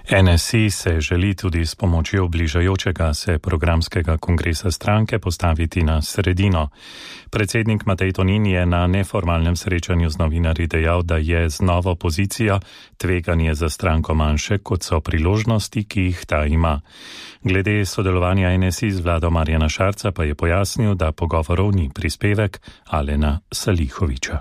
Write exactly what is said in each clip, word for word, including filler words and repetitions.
N S I se želi tudi s pomočjo bližajočega se programskega kongresa stranke postaviti na sredino. Predsednik Matej Tonin je na neformalnem srečanju z novinarji dejal, da je z novo pozicijo tveganje za stranko manjše, kot so priložnosti, ki jih ta ima. Glede sodelovanja N S I z vlado Marjana Šarca pa je pojasnil, da pogovorov ni. Prispevek Alena Salihoviča.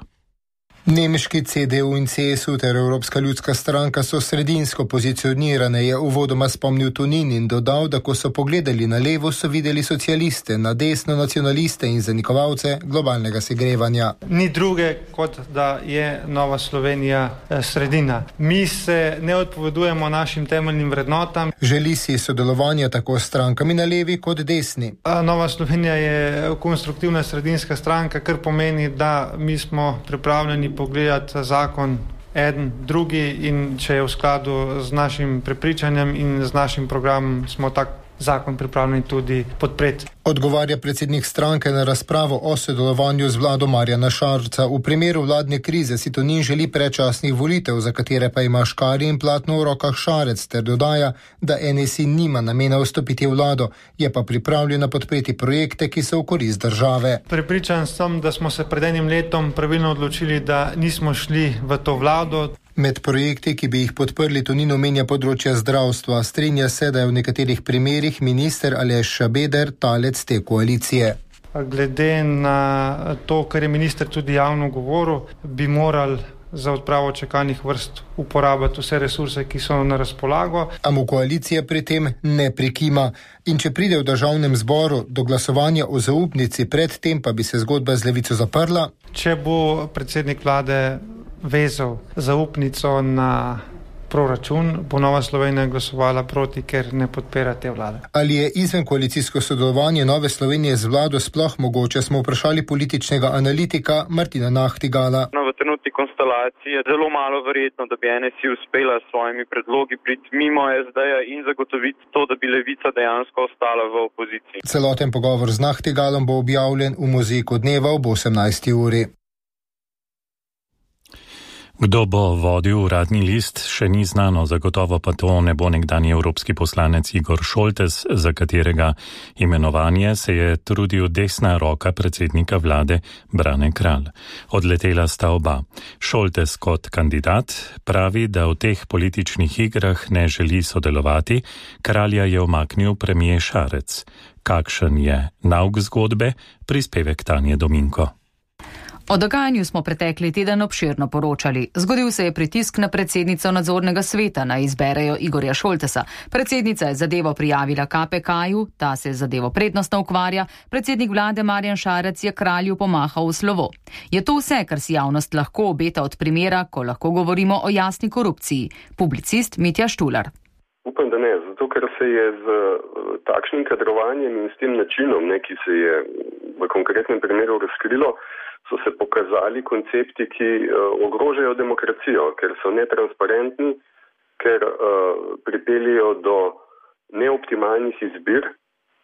Nemški C D U in C S U ter Evropska ljudska stranka so sredinsko pozicionirane, je uvodoma spomnil Tonin in dodal, da ko so pogledali na levo, so videli socialiste, na desno nacionaliste in zanikovalce globalnega segrevanja. Ni druge, kot da je Nova Slovenija sredina. Mi se ne odpovedujemo našim temeljnim vrednotam. Želi si sodelovanja tako s strankami na levi kot desni. Nova Slovenija je konstruktivna sredinska stranka, kar pomeni, da mi smo pripravljeni pogledati zakon eden, drugi in če je v skladu z našim prepričanjem in z našim programom, smo tak zakon pripravljeni tudi podpreti. Odgovarja predsednik stranke na razpravo o sodelovanju z vlado Marjana Šarca. V primeru vladne krize si Tonin želi predčasnih volitev, za katere pa ima škarje in platno v rokah Šarec, ter dodaja, da N S I nima namena vstopiti v vlado, je pa pripravljena podpreti projekte, ki so v korist države. Prepričan sem, da smo se pred enim letom pravilno odločili, da nismo šli v to vlado. Med projekti, ki bi jih podprli, Tonin omenja področja zdravstva. Strinja se, da je v nekaterih primerih minister Aleš Šabeder talec te koalicije. Glede na to, kar je minister tudi javno govoril, bi morali za odpravo čakalnih vrst uporabiti vse resurse, ki so na razpolago. A mu koalicija pri tem ne prikima. In če pride v državnem zboru do glasovanja o zaupnici, pred tem pa bi se zgodba z Levico zaprla. Če bo predsednik vlade vezal zaupnico na proračun, bo Nova Slovenija glasovala proti, ker ne podpira te vlade. Ali je izven koalicijsko sodelovanje Nove Slovenije z vlado sploh mogoče, smo vprašali političnega analitika Martina Nahtigala. No, v trenutni konstelaciji je zelo malo verjetno, da bi N S I uspela s svojimi predlogi priti mimo S D-ja in zagotoviti to, da bi Levica dejansko ostala v opoziciji. Celoten pogovor z Nahtigalom bo objavljen v Mozaiku dneva ob osemnajsti uri. Kdo bo vodil uradni list, še ni znano, zagotovo pa to ne bo nekdanji evropski poslanec Igor Šoltes, za katerega imenovanje se je trudil desna roka predsednika vlade Brane Kralj. Odletela sta oba. Šoltes kot kandidat pravi, da v teh političnih igrah ne želi sodelovati, Kralja je umaknil premier Šarec. Kakšen je nauk zgodbe? Prispevek Tanje Dominko. O dogajanju smo pretekli teden obširno poročali. Zgodil se je pritisk na predsednico nadzornega sveta, naj izberejo Igorja Šoltesa. Predsednica je zadevo prijavila K P K-ju, ta se zadevo prednostno ukvarja, predsednik vlade Marjan Šarec je Kralju pomahal v slovo. Je to vse, kar si javnost lahko obeta od primera, ko lahko govorimo o jasni korupciji? Publicist Mitja Štular. Upam, da ne, zato ker se je z takšnim kadrovanjem in s tem načinom, ne, ki se je v konkretnem primeru razkrilo, so se pokazali koncepti, ki uh, ogrožajo demokracijo, ker so netransparentni, ker uh, pripeljajo do neoptimalnih izbir,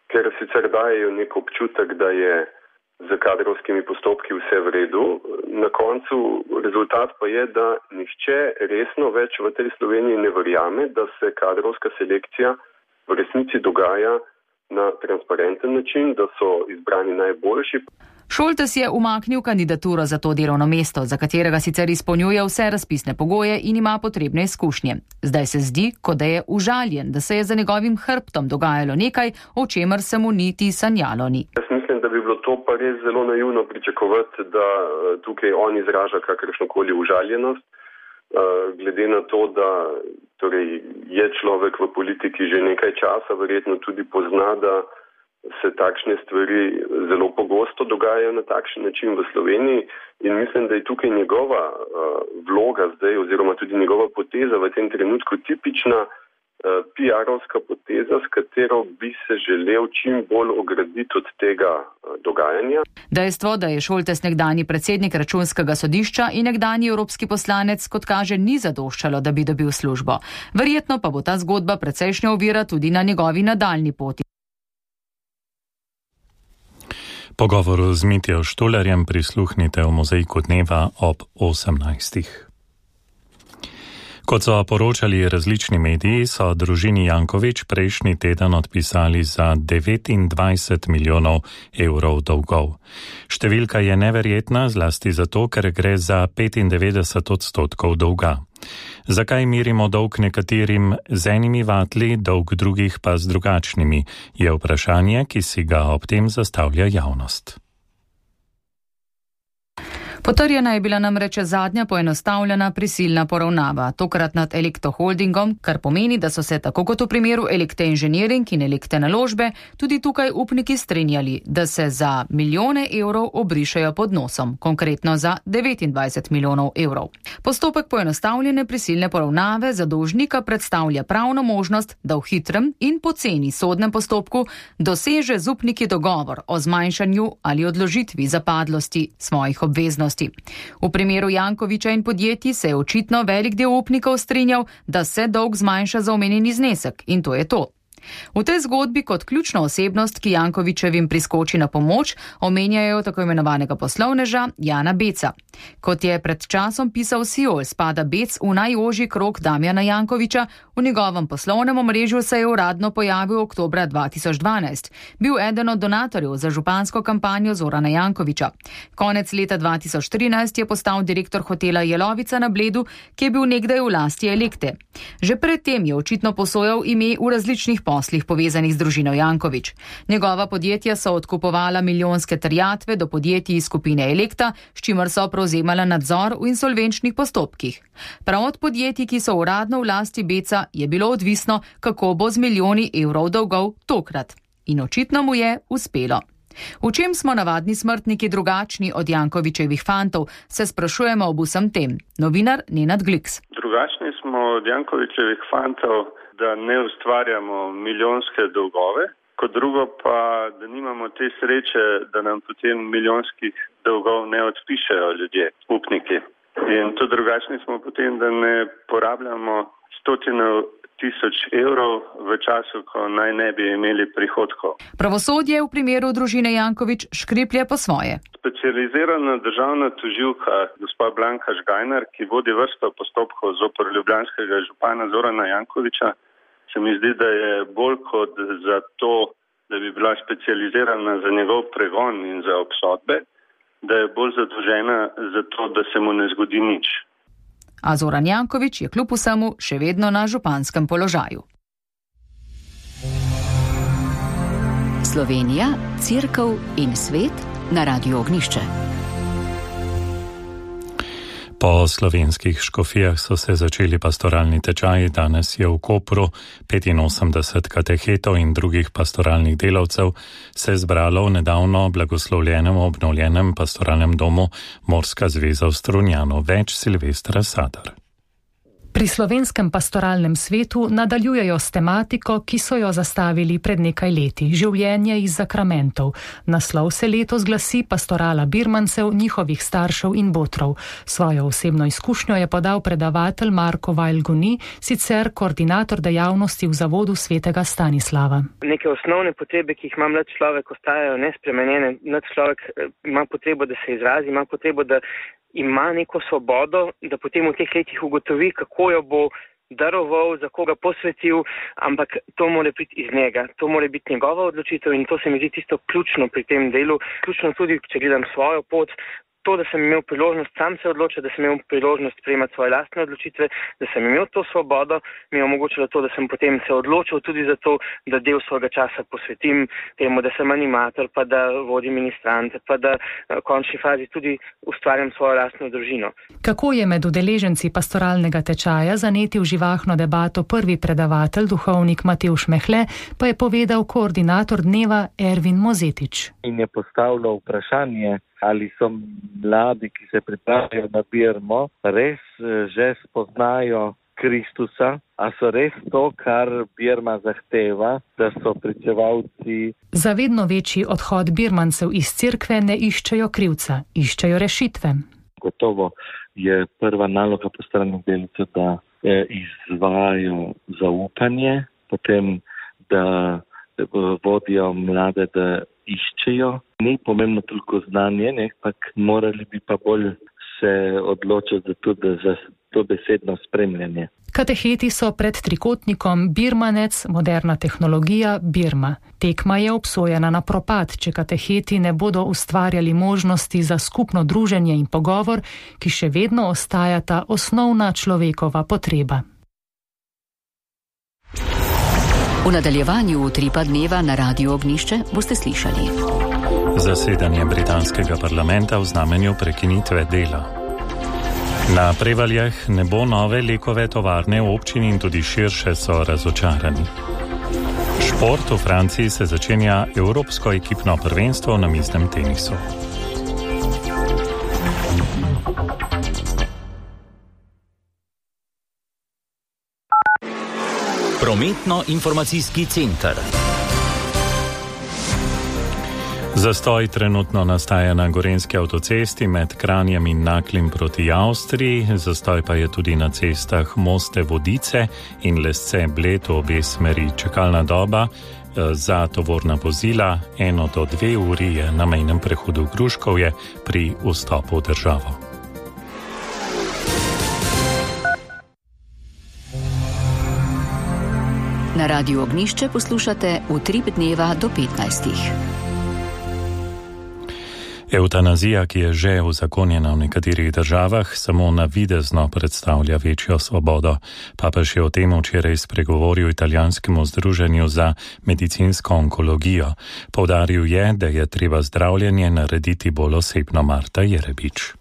ker sicer dajejo nek občutek, da je z kadrovskimi postopki vse v redu. Na koncu rezultat pa je, da nihče resno več v tej Sloveniji ne verjame, da se kadrovska selekcija v resnici dogaja na transparenten način, da so izbrani najboljši. Šoltes je umaknil kandidaturo za to delovno mesto, za katerega sicer izpolnjuje vse razpisne pogoje in ima potrebne izkušnje. Zdaj se zdi, kot da je užaljen, da se je za njegovim hrbtom dogajalo nekaj, o čemer se mu niti sanjalo ni. Jaz mislim, da bi bilo to pa res zelo naivno pričakovati, da tukaj on izraža kakršnokoli užaljenost, glede na to, da torej, je človek v politiki že nekaj časa, verjetno tudi pozna, da se takšne stvari zelo pogosto dogajajo na takšen način v Sloveniji in mislim, da je tukaj njegova uh, vloga zdaj oziroma tudi njegova poteza v tem trenutku tipična uh, P R-ovska poteza, s katero bi se želel čim bolj ograditi od tega uh, dogajanja. Dejstvo, da je Šoltes nekdanji predsednik Računskega sodišča in nekdanji evropski poslanec, kot kaže, ni zadoščalo, da bi dobil službo. Verjetno pa bo ta zgodba precejšnja ovira tudi na njegovi nadaljni poti. Pogovoru z Mitjo Štularjem prisluhnite v Mozaiku dneva ob osemnajstih. Kot so poročali različni mediji, so družini Janković prejšnji teden odpisali za devetindvajset milijonov evrov dolgov. Številka je neverjetna, zlasti zato, ker gre za petindevetdeset odstotkov dolga. Zakaj merimo dolg nekaterim z enimi vatli, dolg drugih pa z drugačnimi, je vprašanje, ki si ga ob tem zastavlja javnost. Potrjena je bila namreč zadnja poenostavljena prisilna poravnava, tokrat nad Elekto Holdingom, kar pomeni, da so se tako kot v primeru Elekte Inženiring in Elekte Naložbe tudi tukaj upniki strinjali, da se za milijone evrov obrišajo pod nosom, konkretno za devetindvajset milijonov evrov. Postopek poenostavljene prisilne poravnave za dolžnika predstavlja pravno možnost, da v hitrem in poceni sodnem postopku doseže z upniki dogovor o zmanjšanju ali odložitvi zapadlosti svojih obveznosti. V primeru Jankovića in podjetij se je očitno velik del upnikov strinjal, da se dolg zmanjša za omenjeni znesek, in to je to. V tej zgodbi kot ključno osebnost, ki Jankovićevim priskoči na pomoč, omenjajo tako imenovanega poslovneža Jana Beca. Kot je pred časom pisal Siol, spada Bec v najožji krog Damjana Jankovića, v njegovem poslovnem omrežju se je uradno pojavil oktobra dva tisoč dvanajst. Bil eden od donatorjev za župansko kampanjo Zorana Jankovića. Konec leta dva tisoč trinajst je postal direktor hotela Jelovica na Bledu, ki je bil nekdaj v lasti Elekte. Že predtem je očitno posojal ime v različnih poslih povezanih z družino Janković. Njegova podjetja so odkupovala milijonske terjatve do podjetij iz skupine Elekta, s čimer so prevzemala nadzor v insolvenčnih postopkih. Prav od podjetij, ki so uradno v lasti Beca, je bilo odvisno, kako bo z milijoni evrov dolgov tokrat. In očitno mu je uspelo. V čem smo navadni smrtniki drugačni od Jankovićevih fantov, se sprašujemo ob vsem tem. Novinar Nenad Gliks. Drugačni smo od Jankovićevih fantov, da ne ustvarjamo milijonske dolgove, kot drugo pa, da nimamo te sreče, da nam potem milijonskih dolgov ne odpišejo ljudje, upniki. In to drugačni smo potem, da ne porabljamo stotine tisoč evrov v času, ko naj ne bi imeli prihodkov. Pravosodje v primeru družine Janković škriplje po svoje. Specializirana državna tožilka gospa Blanka Žgajnar, ki vodi vrsto postopkov zoper ljubljanskega župana Zorana Jankovića, se mi zdi, da je bolj kot za to, da bi bila specializirana za njegov pregon in za obsodbe, da je bolj zadolžena za to, da se mu ne zgodi nič. A Zoran Janković je kljub vsemu še vedno na županskem položaju. Slovenija, Cerkev in svet na Radiu Ognjišče. Po slovenskih škofijah so se začeli pastoralni tečaji. Danes je v Kopru petinosemdeset katehetov in drugih pastoralnih delavcev se zbralo v nedavno blagoslovljenem obnovljenem pastoralnem domu Morska zveza v Strunjanu. Več Silvestra Sadar. Pri slovenskem pastoralnem svetu nadaljujejo s tematiko, ki so jo zastavili pred nekaj leti, življenje iz zakramentov. Naslov se letos glasi Pastorala birmancev, njihovih staršev in botrov. Svojo osebno izkušnjo je podal predavatelj Marko Vajl-Guni, sicer koordinator dejavnosti v zavodu svetega Stanislava. Neke osnovne potrebe, ki jih ima mlad človek, ostajajo nespremenjene. Mlad človek ima potrebo, da se izrazi, ima potrebo, da ima neko svobodo, da potem v teh letih ugotovi, kako jo bo daroval, za koga posvetil, ampak to mora biti iz njega, to mora biti njegova odločitev in to se mi zdi tisto ključno pri tem delu, ključno tudi, če gledam svojo pot, to, da sem imel priložnost sam se odločiti, da sem imel priložnost sprejemati svoje lastne odločitve, da sem imel to svobodo, mi je omogočilo to, da sem potem se odločil tudi za to, da del svojega časa posvetim temu, da sem animator, pa da vodim ministrante, pa da v končni fazi tudi ustvarjam svojo lastno družino. Kako je med udeleženci pastoralnega tečaja zanetil živahno debato prvi predavatelj, duhovnik Matevž Mehle, pa je povedal koordinator dneva Ervin Mozetič. In je postavljal vprašanje, ali so mladi, ki se pripravljajo na birmo, res že spoznajo Kristusa, a so res to, kar birma zahteva, da so pričevalci. Za vedno večji odhod birmancev iz cerkve ne iščejo krivca, iščejo rešitve. Gotovo je prva naloga pastoralnih delavcev, da izvajajo zaupanje, potem da vodijo mlade, da iščejo. Ni pomembno toliko znanje, ne, ampak morali bi pa bolj se odločiti za to, da dobesedno spremljanje. Kateheti so pred trikotnikom Birmanec, moderna tehnologija, Birma. Tekma je obsojena na propad, če kateheti ne bodo ustvarjali možnosti za skupno druženje in pogovor, ki še vedno ostajata osnovna človekova potreba. V nadaljevanju Utripa dneva na Radiu Ognišče boste slišali. Zasedanje britanskega parlamenta v znamenju prekinitve dela. Na Prevaljah ne bo nove Lekove tovarne v občini in tudi širše so razočarani. Šport v Franciji se začenja evropsko ekipno prvenstvo na miznem tenisu. Prometno-informacijski center. Zastoj trenutno nastaja na Gorenjski avtocesti med Kranjem in Naklim proti Avstriji, zastoj pa je tudi na cestah Moste Vodice in Lesce Bled v obe smeri. Čakalna doba za tovorna vozila eno do dve uri je na mejnem prehodu Gruškovje pri vstopu v državo. Na Radiu Ognišče poslušate Utrip dneva do petnajstih. Evtanazija, ki je že uzakonjena v nekaterih državah, samo navidezno predstavlja večjo svobodo. Papež je o tem včeraj spregovoril italijanskemu združenju za medicinsko onkologijo. Poudaril je, da je treba zdravljenje narediti bolj osebno. Marta Jerebič.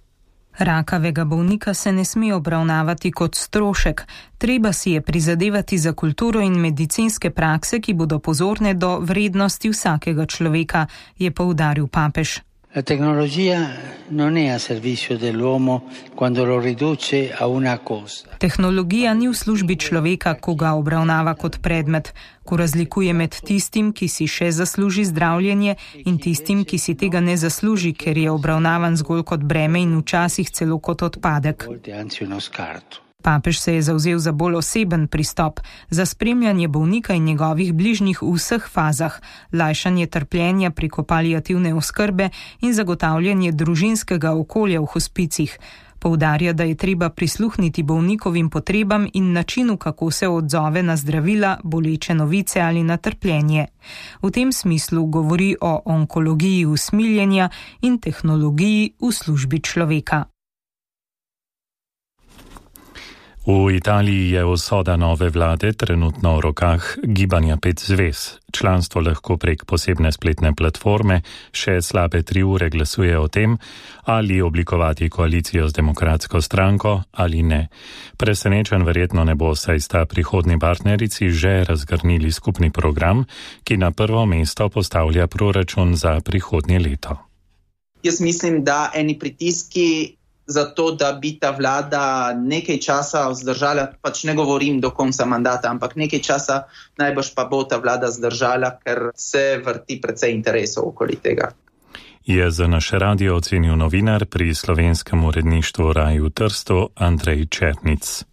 Rakavega bolnika se ne sme obravnavati kot strošek. Treba si je prizadevati za kulturo in medicinske prakse, ki bodo pozorne do vrednosti vsakega človeka, je poudaril papež. La tecnologia non è a servizio dell'uomo quando lo riduce a una cosa. Tehnologija ni v službi človeka, ko ga obravnava kot predmet, ko razlikuje med tistim, ki si še zasluži zdravljenje, in tistim, ki si tega ne zasluži, ker je obravnavan zgolj kot breme in včasih celo kot odpadek. Papež se je zavzel za bolj oseben pristop, za spremljanje bolnika in njegovih bližnjih v vseh fazah, lajšanje trpljenja preko paliativne oskrbe in zagotavljanje družinskega okolja v hospicih. Poudarja, da je treba prisluhniti bolnikovim potrebam in načinu, kako se odzove na zdravila, boleče novice ali na trpljenje. V tem smislu govori o onkologiji usmiljenja in tehnologiji v službi človeka. V Italiji je usoda nove vlade trenutno v rokah Gibanja pet zvez. Članstvo lahko prek posebne spletne platforme še slabe tri ure glasuje o tem, ali oblikovati koalicijo z demokratsko stranko ali ne. Presenečen verjetno ne bo, saj sta prihodni partnerici že razgrnili skupni program, ki na prvo mesto postavlja proračun za prihodnje leto. Jaz mislim, da eni pritiski zato, da bi ta vlada nekaj časa vzdržala, pač ne govorim do konca mandata, ampak nekaj časa najbrž pa bo ta vlada zdržala, ker se vrti precej interesov okoli tega. Je za naš radio ocenil novinar pri slovenskem uredništvu Raju v Trstu Andrej Černic.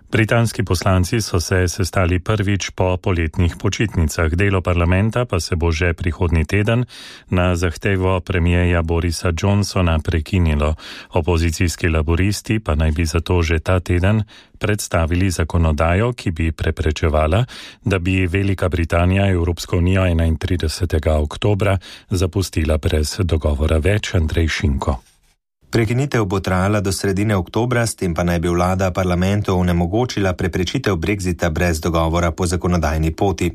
Britanski poslanci so se sestali prvič po poletnih počitnicah. Delo parlamenta pa se bo že prihodnji teden na zahtevo premijeja Borisa Johnsona prekinilo. Opozicijski laboristi pa naj bi zato že ta teden predstavili zakonodajo, ki bi preprečevala, da bi Velika Britanija Evropsko unijo enaintridesetega oktobra zapustila brez dogovora. Več Andrej Šinko. Prekinitev bo trajala do sredine oktobra, s tem pa naj bi vlada parlamentu onemogočila preprečitev brexita brez dogovora po zakonodajni poti.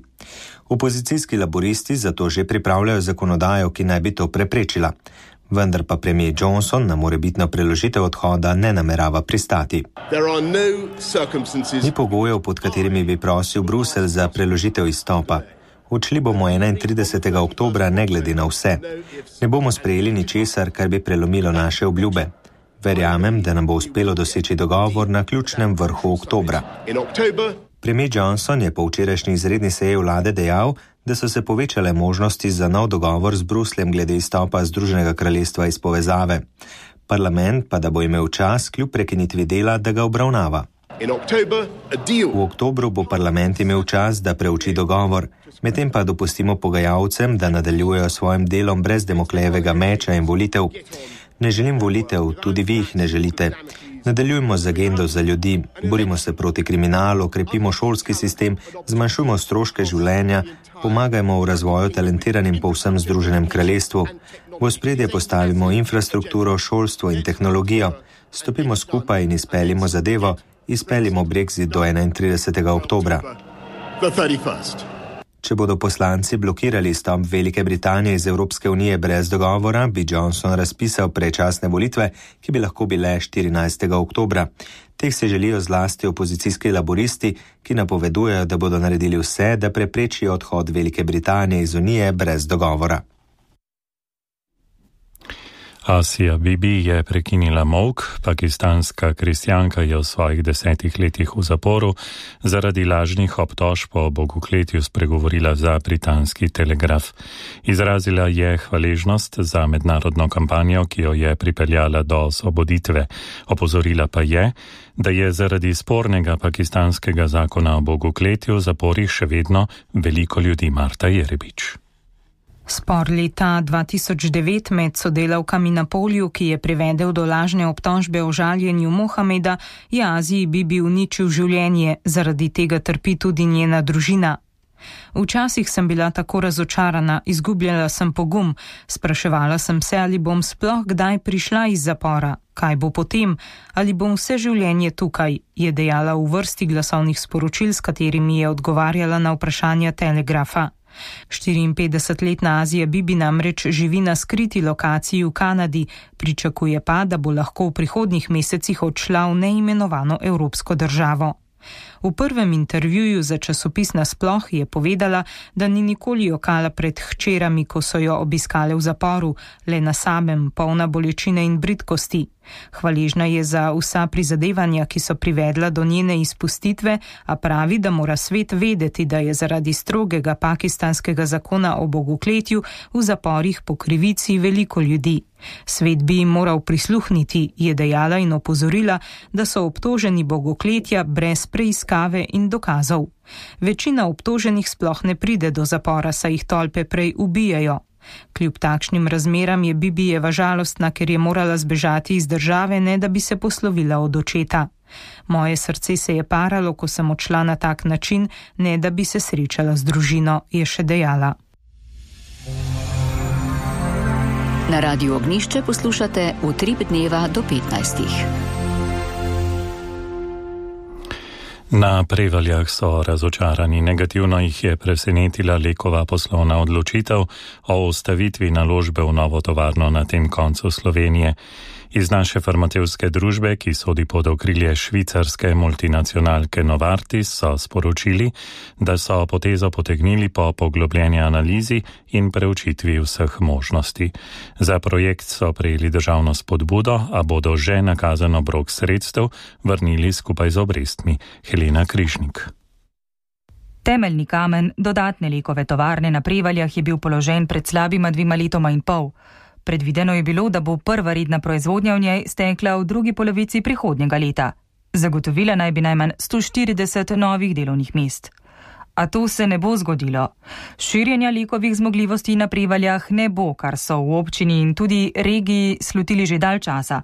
Opozicijski laboristi zato že pripravljajo zakonodajo, ki naj bi to preprečila. Vendar pa premijer Johnson na morebitno preložitev odhoda ne namerava pristati. Ni pogojev, pod katerimi bi prosil Bruselj za preložitev izstopa. Odšli bomo enaintridesetega oktobra ne glede na vse. Ne bomo sprejeli ničesar, kar bi prelomilo naše obljube. Verjamem, da nam bo uspelo doseči dogovor na ključnem vrhu oktobra. Premijer Johnson je po včerajšnji izredni seji vlade dejal, da so se povečale možnosti za nov dogovor z Brusljem glede izstopa Združenega kraljestva iz povezave. Parlament pa da bo imel čas kljub prekinitvi dela, da ga obravnava. V oktobru bo parlament imel čas, da preuči dogovor, medtem pa dopustimo pogajalcem, da nadaljujejo svojim delom brez Damoklejevega meča in volitev. Ne želim volitev, tudi vi jih ne želite. Nadaljujmo z agendo za ljudi, borimo se proti kriminalu, krepimo šolski sistem, zmanjšujmo stroške življenja, pomagajmo v razvoju talentiranim po vsem Združenem kraljestvu. V ospredje postavimo infrastrukturo, šolstvo in tehnologijo. Stopimo skupaj in izpeljimo zadevo, izpeljimo Brexit do enaintridesetega oktobra. Če bodo poslanci blokirali izstop Velike Britanije iz Evropske unije brez dogovora, bi Johnson razpisal predčasne volitve, ki bi lahko bile štirinajstega oktobra. Teh se želijo zlasti opozicijski laboristi, ki napovedujejo, da bodo naredili vse, da preprečijo odhod Velike Britanije iz unije brez dogovora. Asija Bibi je prekinila molk, pakistanska kristjanka je v svojih desetih letih v zaporu zaradi lažnih obtožb o bogokletju spregovorila za britanski Telegraf. Izrazila je hvaležnost za mednarodno kampanjo, ki jo je pripeljala do osvoboditve. Opozorila pa je, da je zaradi spornega pakistanskega zakona o bogokletju v zaporih še vedno veliko ljudi. Marta Jerebič. Spor leta dva tisoč devet med sodelavkami na polju, ki je privedel do lažne obtožbe o žaljenju Mohameda, je Aziji Bibi uničil življenje, zaradi tega trpi tudi njena družina. Včasih sem bila tako razočarana, izgubljala sem pogum, spraševala sem se, ali bom sploh kdaj prišla iz zapora, kaj bo potem, ali bom vse življenje tukaj, je dejala v vrsti glasovnih sporočil, s katerimi je odgovarjala na vprašanja Telegrafa. štiriinpetdesetletna Azija Bibi namreč živi na skriti lokaciji v Kanadi, pričakuje pa, da bo lahko v prihodnjih mesecih odšla v neimenovano evropsko državo. V prvem intervjuju za časopis Nasploh je povedala, da ni nikoli jokala pred hčerami, ko so jo obiskale v zaporu, le na samem, polna bolečine in bridkosti. Hvaležna je za vsa prizadevanja, ki so privedla do njene izpustitve, a pravi, da mora svet vedeti, da je zaradi strogega pakistanskega zakona o bogokletju v zaporih po krivici veliko ljudi. Svet bi jim moral prisluhniti, je dejala in opozorila, da so obtoženi bogokletja brez preiskave in dokazov. Večina obtoženih sploh ne pride do zapora, saj jih tolpe prej ubijajo. Kljub takšnim razmeram je Bibijeva žalostna, ker je morala zbežati iz države, ne da bi se poslovila od očeta. Moje srce se je paralo, ko sem odšla na tak način, ne da bi se srečala z družino, je še dejala. Na Radiu Ognjišče poslušate Utrip dneva do petnajstih. Na Prevaljah so razočarani. Negativno jih je presenetila Lekova poslovna odločitev o ustavitvi naložbe v novo tovarno na tem koncu Slovenije. Iz naše farmacevtske družbe, ki sodi pod okrilje švicarske multinacionalke Novartis, so sporočili, da so potezo potegnili po poglobljeni analizi in preučitvi vseh možnosti. Za projekt so prejeli državno spodbudo, a bodo že nakazano obrok sredstev vrnili skupaj z obrestmi. Helena Križnik. Temeljni kamen dodatne Lekove tovarne na Prevaljah je bil položen pred slabima dvima letoma in pol. Predvideno je bilo, da bo prva redna proizvodnja v njej stekla v drugi polovici prihodnjega leta. Zagotovila naj bi najmanj sto štirideset novih delovnih mest. A to se ne bo zgodilo. Širjenja Lekovih zmogljivosti na Prevaljah ne bo, kar so v občini in tudi regiji slutili že dalj časa,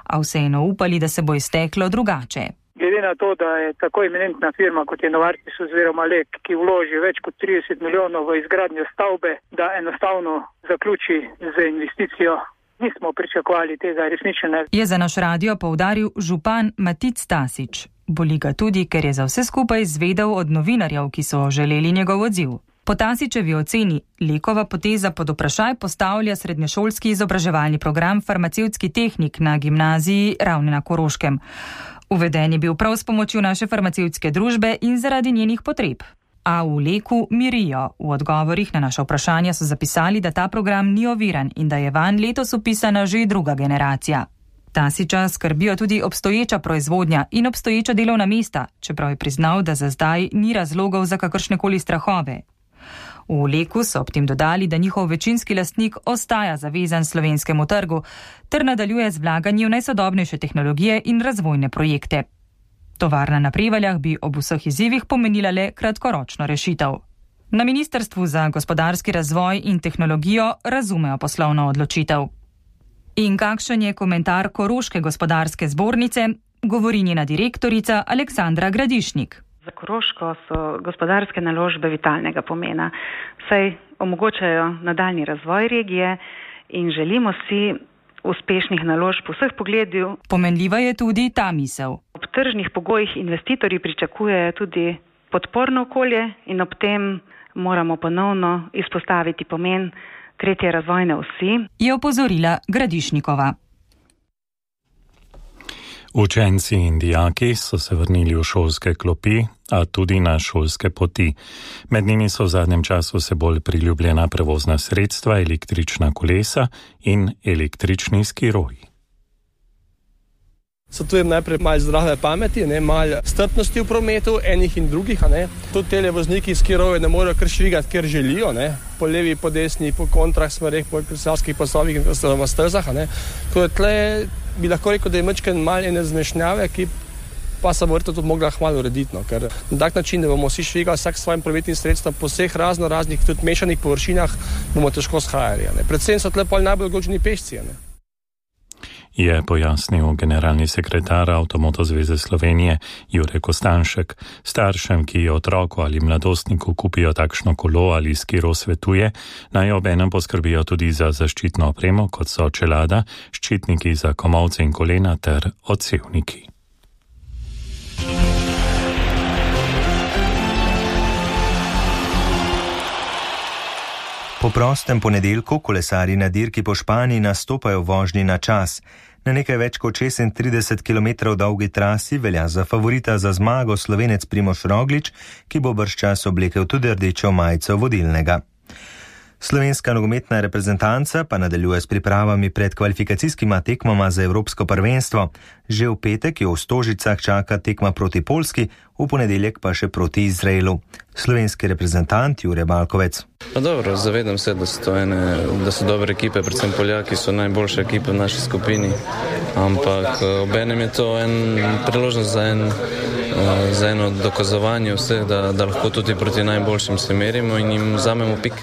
a vseeno upali, da se bo izteklo drugače. Glede na to, da je tako eminentna firma kot je Novartis oziroma Lek, ki vloži več kot trideset milijonov v izgradnjo stavbe, da enostavno zaključi z investicijo, nismo pričakovali tega resnične. Je za naš radio poudaril župan Matic Stasič. Boli ga tudi, ker je za vse skupaj izvedel od novinarjev, ki so želeli njegov odziv. Po Tasičevi oceni Lekova poteza pod vprašaj postavlja srednješolski izobraževalni program farmacevtski tehnik na gimnaziji Ravne na Koroškem. Uveden je bil prav s pomočjo naše farmacevtske družbe in zaradi njenih potreb. A v Leku mirijo. V odgovorih na naša vprašanja so zapisali, da ta program ni oviran in da je vanj letos upisana že druga generacija. Tasiča skrbijo tudi obstoječa proizvodnja in obstoječa delovna mesta, čeprav je priznal, da za zdaj ni razlogov za kakršnekoli strahove. V Leku so ob tem dodali, da njihov večinski lastnik ostaja zavezan slovenskemu trgu ter nadaljuje z vlaganjem v najsodobnejše tehnologije in razvojne projekte. Tovarna na Prevaljah bi ob vseh izzivih pomenila le kratkoročno rešitev. Na Ministrstvu za gospodarski razvoj in tehnologijo razumejo poslovno odločitev. In kakšen je komentar Koroške gospodarske zbornice, govori njena direktorica Aleksandra Gradišnik. Za Koroško so gospodarske naložbe vitalnega pomena, saj omogočajo nadaljni razvoj regije in želimo si uspešnih naložb v vseh pogledih. Pomenljiva je tudi ta misel. Ob tržnih pogojih investitorji pričakujejo tudi podporno okolje in ob tem moramo ponovno izpostaviti pomen tretje razvojne osi, je opozorila Gradišnikova. Učenci in dijaki so se vrnili v šolske klopi, a tudi na šolske poti. Med njimi so v zadnjem času se bolj priljubljena prevozna sredstva, električna kolesa in električni skiroji. Svetujem najprej malo zdrave pameti, ne, malo strpnosti v prometu, enih in drugih. Ne. Tudi tele vozniki skiroje ne morejo kar švigati, ker želijo, ne. Po levi, po desni, po kontrah smereh, po kristalskih pasovih in stezah. Tako da tle bi lahko rekel, da je mečken malo ene zmešnjave, ki pa se bo vrto tudi mogla hmalo urediti. No. Ker na tak način, da bomo vsi švigali vsak svojim prometnim sredstvom po vseh razno raznih tudi mešanih površinah, bomo težko shajali. Ne. Predvsem so tle pol najbolj ogroženi pešci. Ne. Je pojasnil generalni sekretar Avtomoto zveze Slovenije Jure Kostanšek. Staršem, ki otroku ali mladostniku kupijo takšno kolo ali skiro, svetuje, naj obenem poskrbijo tudi za zaščitno opremo, kot so čelada, ščitniki za komolce in kolena ter odsevniki. Po prostem ponedeljku kolesarji na dirki po Španiji nastopajo vožnji na čas. Na nekaj več kot šestintrideset kilometrov dolgi trasi velja za favorita za zmago Slovenec Primož Roglič, ki bo bržčas oblekel tudi rdečo majico vodilnega. Slovenska nogometna reprezentanca pa nadaljuje s pripravami pred kvalifikacijskima tekmama za Evropsko prvenstvo. Že v petek jo v Stožicah čaka tekma proti Poljski, v ponedeljek pa še proti Izraelu. Slovenski reprezentant Jure Balkovec. Pa dobro, zavedam se, da so, to ene, da so dobre ekipe, predvsem Poljaki so najboljše ekipe v naši skupini, ampak obenem je to en priložnost za, en, za eno dokazovanje vseh, da, da lahko tudi proti najboljšim se merimo in jim vzamemo pik.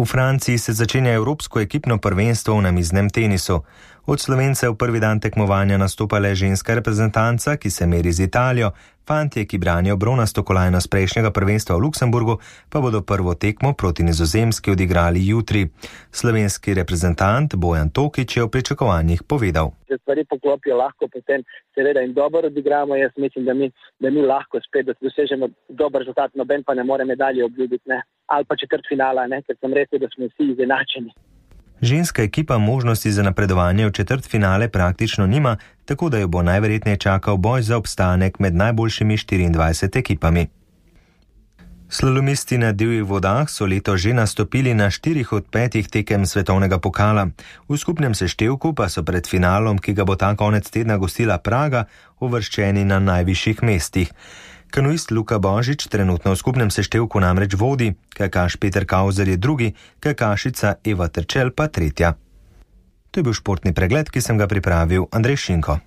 V Franciji se začenja Evropsko ekipno prvenstvo v namiznem tenisu. Od Slovencev prvi dan tekmovanja nastopa le ženska reprezentanca, ki se meri z Italijo. Fantje, ki branijo bronasto kolajno z prejšnjega prvenstva v Luksemburgu, pa bodo prvo tekmo proti Nizozemski odigrali jutri. Slovenski reprezentant Bojan Tokič je o pričakovanjih povedal. Če stvari poklopijo lahko, potem seveda in dobro odigramo. Jaz mislim, da mi, da mi lahko spet dosežemo dober rezultat, noben pa ne more medalje obljubiti, ne. Ali pa četrt finala, ne, ker sem rekel, da smo vsi izenačeni. Ženska ekipa možnosti za napredovanje v četrt finale praktično nima, tako da jo bo najverjetneje čakal boj za obstanek med najboljšimi štiriindvajset ekipami. Slalomisti na divjih vodah so leto že nastopili na štirih od petih tekem svetovnega pokala. V skupnem seštevku pa so pred finalom, ki ga bo ta konec tedna gostila Praga, uvrščeni na najvišjih mestih. Kanuist Luka Božič trenutno v skupnem seštevku namreč vodi, kajakaš Peter Kauzer je drugi, kajakašica Eva Terčel pa tretja. To je bil športni pregled, ki sem ga pripravil Andrej Šinko.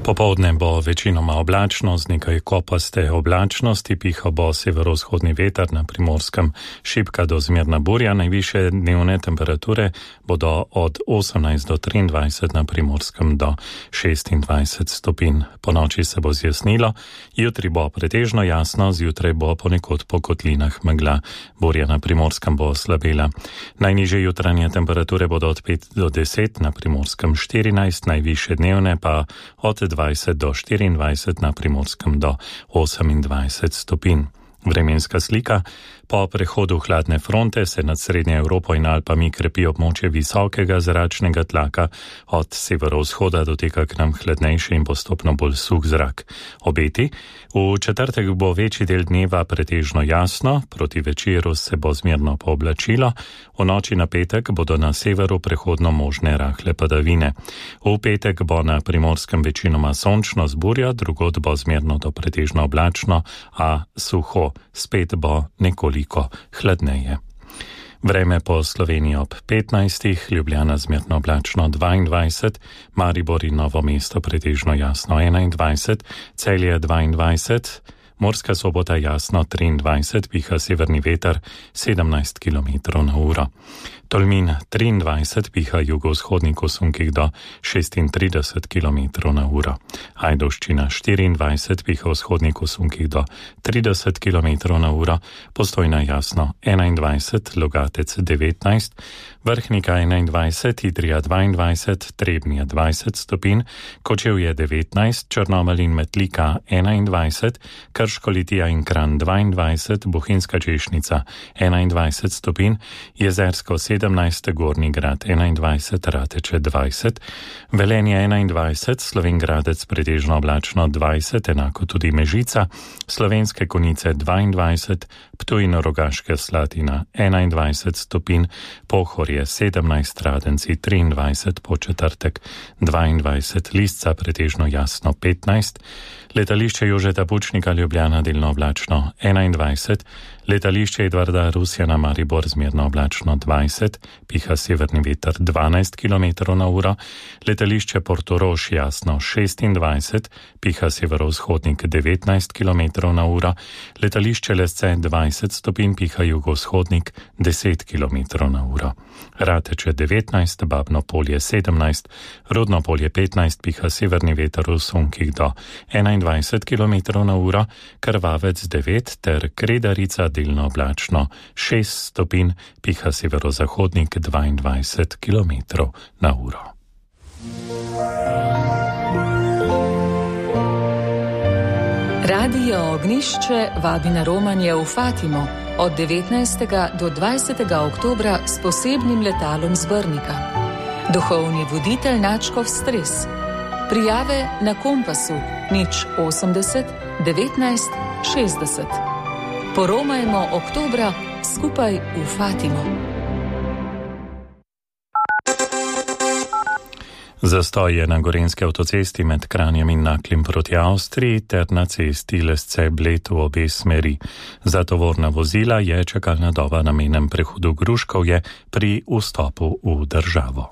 Popoldne bo večinoma oblačno, z nekaj kopaste oblačnosti, piha bo severovzhodni veter, na Primorskem šibka do zmerna burja. Najvišje dnevne temperature bodo od osemnajst do triindvajset, na Primorskem do šestindvajset stopinj. Po noči se bo zjasnilo, jutri bo pretežno jasno, zjutraj bo ponekod po kotlinah megla. Burja na Primorskem bo slabela. Najnižje jutranje temperature bodo od pet do deset, na Primorskem štirinajst, najvišje dnevne pa od dvajset do štiriindvajset, na Primorskem do osemindvajset stopinj. Vremenska slika. Po prehodu hladne fronte se nad Srednjo Evropo in Alpami krepi območje visokega zračnega tlaka. Od severovzhoda doteka k nam hladnejši in postopno bolj suh zrak. Obeti. V četrtek bo večji del dneva pretežno jasno, proti večeru se bo zmerno pooblačilo, v noči na petek bodo na severu prehodno možne rahle padavine. V petek bo na Primorskem večinoma sončno z burjo, drugod bo zmerno do pretežno oblačno, a suho. Spet bo nekoliko hladneje. Vreme po Sloveniji ob petnajstih, Ljubljana zmerno oblačno dvaindvajset, Maribor in Novo mesto pretežno jasno enaindvajset, Celje dvaindvajset, Murska Sobota jasno triindvajset, piha severni veter sedemnajst kilometrov na uro. Tolmin triindvajset, piha jugovzhodnik v sunkih do šestintrideset kilometrov na uro. Ajdovščina štiriindvajset, piha vzhodnik v sunkih do trideset kilometrov na uro. Postojna jasno enaindvajset, Logatec devetnajst, Vrhnika enaindvajset, Idrija dvaindvajset, Trebnje dvajset stopinj, Kočevje devetnajst, Črnomelj in Metlika enaindvajset, Krško, Litija in Kranj dvaindvajset, Bohinjska Češnica enaindvajset stopinj, Jezersko sedemnajst, Gornji Grad enaindvajset, Rateče dvajset, Velenje enaindvajset, Slovenj Gradec pretežno oblačno dvajset, enako tudi Mežica, Slovenske Konjice dvaindvajset, Ptuj in Rogaška Slatina enaindvajset stopinj, Pohorje sedemnajst, Radenci triindvajset, Početrtek dvaindvajset, Lisca pretežno jasno petnajst, Letališče Jožeta Pučnika Ljubljana delno oblačno enaindvajset, Letališče Edvarda Rusjana Maribor zmerno oblačno dvajset, piha severni veter dvanajst kilometrov na uro, Letališče Portorož jasno šestindvajset, piha severovzhodnik devetnajst kilometrov na uro, Letališče Lesce dvajset stopinj, piha jugovzhodnik deset kilometrov na uro. Rateče devetnajst, Babno Polje sedemnajst, Rudno Polje petnajst, piha severni veter v sunkih do enaindvajset kilometrov na uro, Krvavec devet ter Kredarica delno oblačno šest stopinj, piha severozahodnik dvaindvajset kilometrov na uro. Radio Ognišče vabi na romanje v Fatimo od devetnajstega do dvajsetega oktobra s posebnim letalom z Brnika. Duhovni voditelj Načkov Stres. Prijave na Kompasu nič osemdeset devetnajst šestdeset. Poromajmo oktobra skupaj v Fatimo. Zastoj je na gorenjski avtocesti med Kranjem in Naklem proti Avstriji ter na cesti Lesce-Bled v obe smeri. Za tovorna vozila je čakalna doba na mejnem prehodu Gruškovje pri vstopu v državo.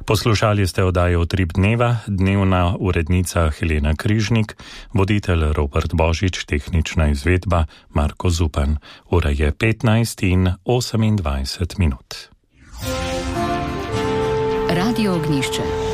Poslušali ste oddajo Utrip dneva, dnevna urednica Helena Križnik, voditelj Robert Božič, tehnična izvedba Marko Zupan. Ura je petnajst in osemindvajset minut. Radio Ognišče.